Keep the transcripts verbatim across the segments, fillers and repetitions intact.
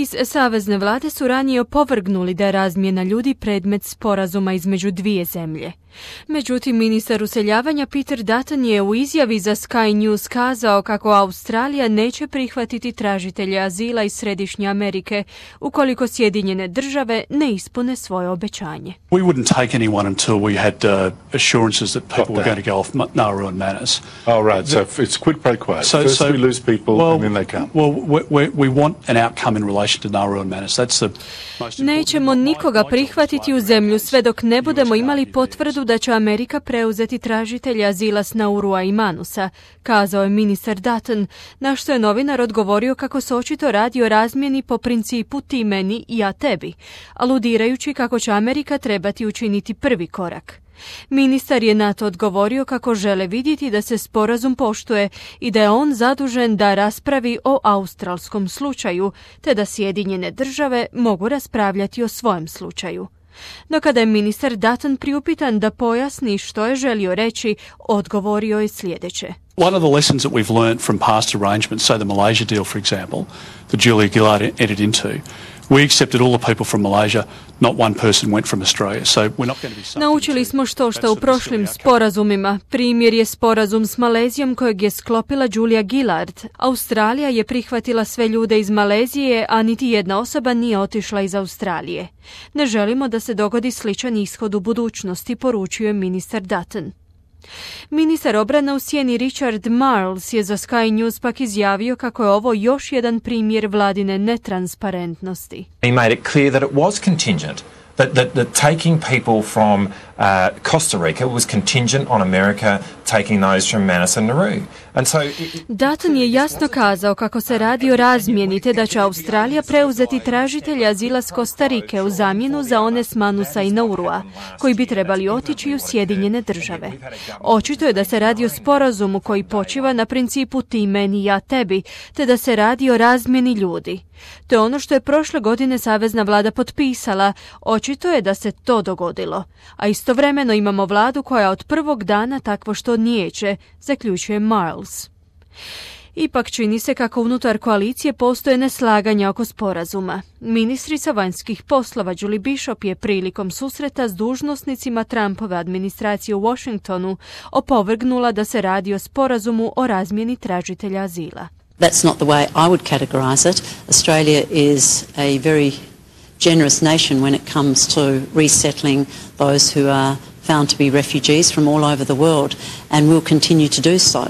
Iz savezne vlade su ranije opovrgnuli da je razmjena ljudi predmet sporazuma između dvije zemlje. Međutim, ministar useljavanja Peter Dutton je u izjavi za Sky News kazao kako Australija neće prihvatiti tražitelje azila iz Središnje Amerike ukoliko Sjedinjene države ne ispune svoje obećanje. We wouldn't take anyone until we had uh, assurances that people were going to go off Nauru and Manus. Oh, right. So it's quid pro quo. So, First so, we lose people well, and then they come. Well, we, we want an outcome in relation to Nauru and Manus. That's the most Nećemo nikoga prihvatiti u zemlju sve dok ne budemo imali potvrdu da će Amerika preuzeti tražitelja azila s Naurua i Manusa, kazao je ministar Dutton, na što je novinar odgovorio kako se očito radi o razmjeni po principu ti meni i ja tebi, aludirajući kako će Amerika trebati učiniti prvi korak. Ministar je na to odgovorio kako žele vidjeti da se sporazum poštuje i da je on zadužen da raspravi o australskom slučaju, te da Sjedinjene države mogu raspravljati o svojem slučaju. No kada je ministar Dutton priupitan da pojasni što je želio reći, odgovorio je sljedeće. One of the lessons that we've learned from past arrangements, say the Malaysia deal, for example, that Julia Gillard entered into, we accepted all the people from Malaysia, not one person went from Australia. So we're not going to be subject. Naučili smo što što u prošlim sporazumima. Primjer je sporazum s Malezijom kojeg je sklopila Julia Gillard. Australija je prihvatila sve ljude iz Malezije, a niti jedna osoba nije otišla iz Australije. Ne želimo da se dogodi sličan ishod u budućnosti, poručio je ministar Dutton. Ministar obrane u sjeni Richard Marles je za Sky News pak izjavio kako je ovo još jedan primjer vladine netransparentnosti. He made it clear that it was contingent. That, that, that taking people from uh, Costa Rica was contingent on America taking those from Manus and Nauru. And so it, Dutton je jasno kazao kako se radi o razmjeni te da će Australija preuzeti tražitelja azila s Kostarike u zamjenu za one s Manusa i Naurua, koji bi trebali otići u Sjedinjene države. Očito je da se radi o sporazumu koji počiva na principu ti meni, ja tebi, te da se radi o razmjeni ljudi. To je ono što je prošle godine savezna vlada potpisala. Očito je da se to dogodilo. A istovremeno imamo vladu koja od prvog dana takvo što nijeće, zaključuje Marles. Ipak čini se kako unutar koalicije postoje neslaganja oko sporazuma. Ministrica vanjskih poslova Julie Bishop je prilikom susreta s dužnosnicima Trumpove administracije u Washingtonu opovrgnula da se radi o sporazumu o razmjeni tražitelja azila. That's not the way I would categorise it. Australia is a very generous nation when it comes to resettling those who are found to be refugees from all over the world, and will continue to do so.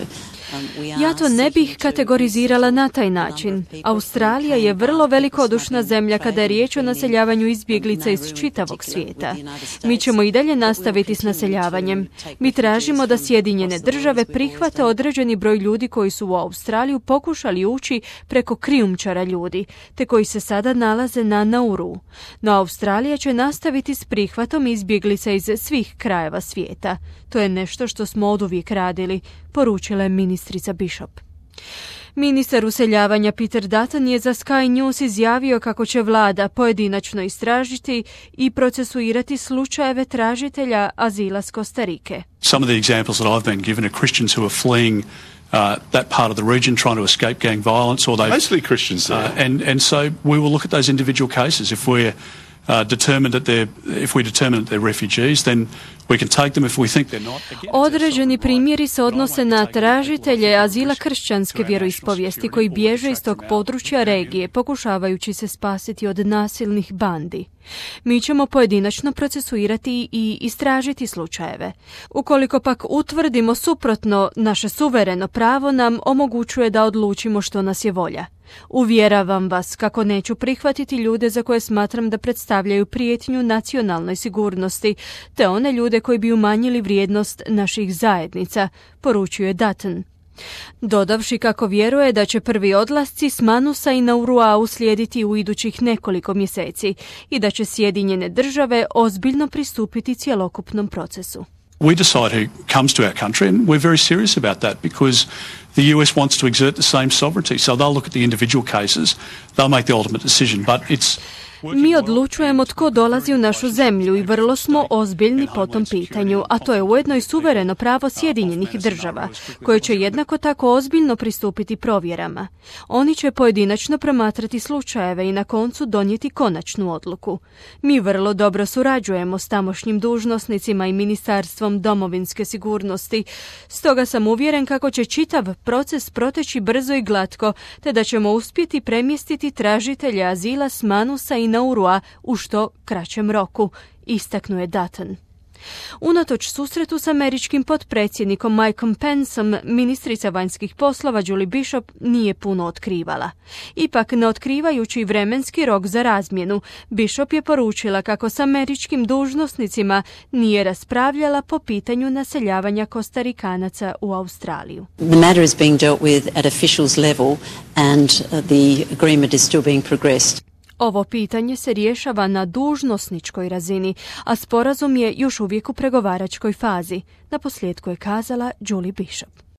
Ja to ne bih kategorizirala na taj način. Australija je vrlo velikodušna zemlja kada je riječ o naseljavanju izbjeglica iz čitavog svijeta. Mi ćemo i dalje nastaviti s naseljavanjem. Mi tražimo da Sjedinjene države prihvate određeni broj ljudi koji su u Australiju pokušali ući preko krijumčara ljudi, te koji se sada nalaze na Nauru. No Australija će nastaviti s prihvatom izbjeglica iz svih krajeva svijeta. To je nešto što smo oduvijek radili, poručila je ministrica Bishop. Ministar useljavanja Peter Dutton je za Sky News izjavio kako će vlada pojedinačno istražiti i procesuirati slučajeve tražitelja azila s Kostarike. Some of the examples that I've been given are Christians who are fleeing Uh, that part of the region, trying to escape gang violence, or they mostly Christians there. Uh, and and so we will look at those individual cases. If we're uh, determined that they're, if we determine that they're refugees, then we can take them. If we think they're not. Again, određeni primjeri se odnose na tražitelje azila kršćanske vjeroispovijesti koji bježe iz tog područja regije, pokušavajući se spasiti od nasilnih bandi. Mi ćemo pojedinačno procesuirati i istražiti slučajeve. Ukoliko pak utvrdimo suprotno, naše suvereno pravo nam omogućuje da odlučimo što nas je volja. Uvjeravam vas kako neću prihvatiti ljude za koje smatram da predstavljaju prijetnju nacionalnoj sigurnosti, te one ljude koji bi umanjili vrijednost naših zajednica, poručuje Dutton. Dodavši kako vjeruje da će prvi odlasci s Manusa i Naurua uslijediti u idućih nekoliko mjeseci i da će Sjedinjene države ozbiljno pristupiti cjelokupnom procesu. We decide who comes to our country, and we're very serious about that because the U S wants to exert the same sovereignty. So they'll look at the individual cases, they'll make the ultimate decision, but it's Mi odlučujemo tko dolazi u našu zemlju i vrlo smo ozbiljni po tom pitanju, a to je ujedno i suvereno pravo Sjedinjenih država, koje će jednako tako ozbiljno pristupiti provjerama. Oni će pojedinačno promatrati slučajeve i na koncu donijeti konačnu odluku. Mi vrlo dobro surađujemo s tamošnjim dužnosnicima i Ministarstvom domovinske sigurnosti, stoga sam uvjeren kako će čitav proces proteći brzo i glatko, te da ćemo uspjeti premjestiti tražitelje azila s Manusa i Naurua u što kraćem roku, istaknuo je Dutton. Unatoč susretu s američkim potpredsjednikom Mikeom Penceom, ministrica vanjskih poslova Julie Bishop nije puno otkrivala. Ipak, ne otkrivajući vremenski rok za razmjenu, Bishop je poručila kako s američkim dužnosnicima nije raspravljala po pitanju naseljavanja Kostarikanaca u Australiju. The matter is being dealt with at officials level and the agreement is still being progressed. Ovo pitanje se rješava na dužnosničkoj razini, a sporazum je još uvijek u pregovaračkoj fazi, naposljetku je kazala Julie Bishop.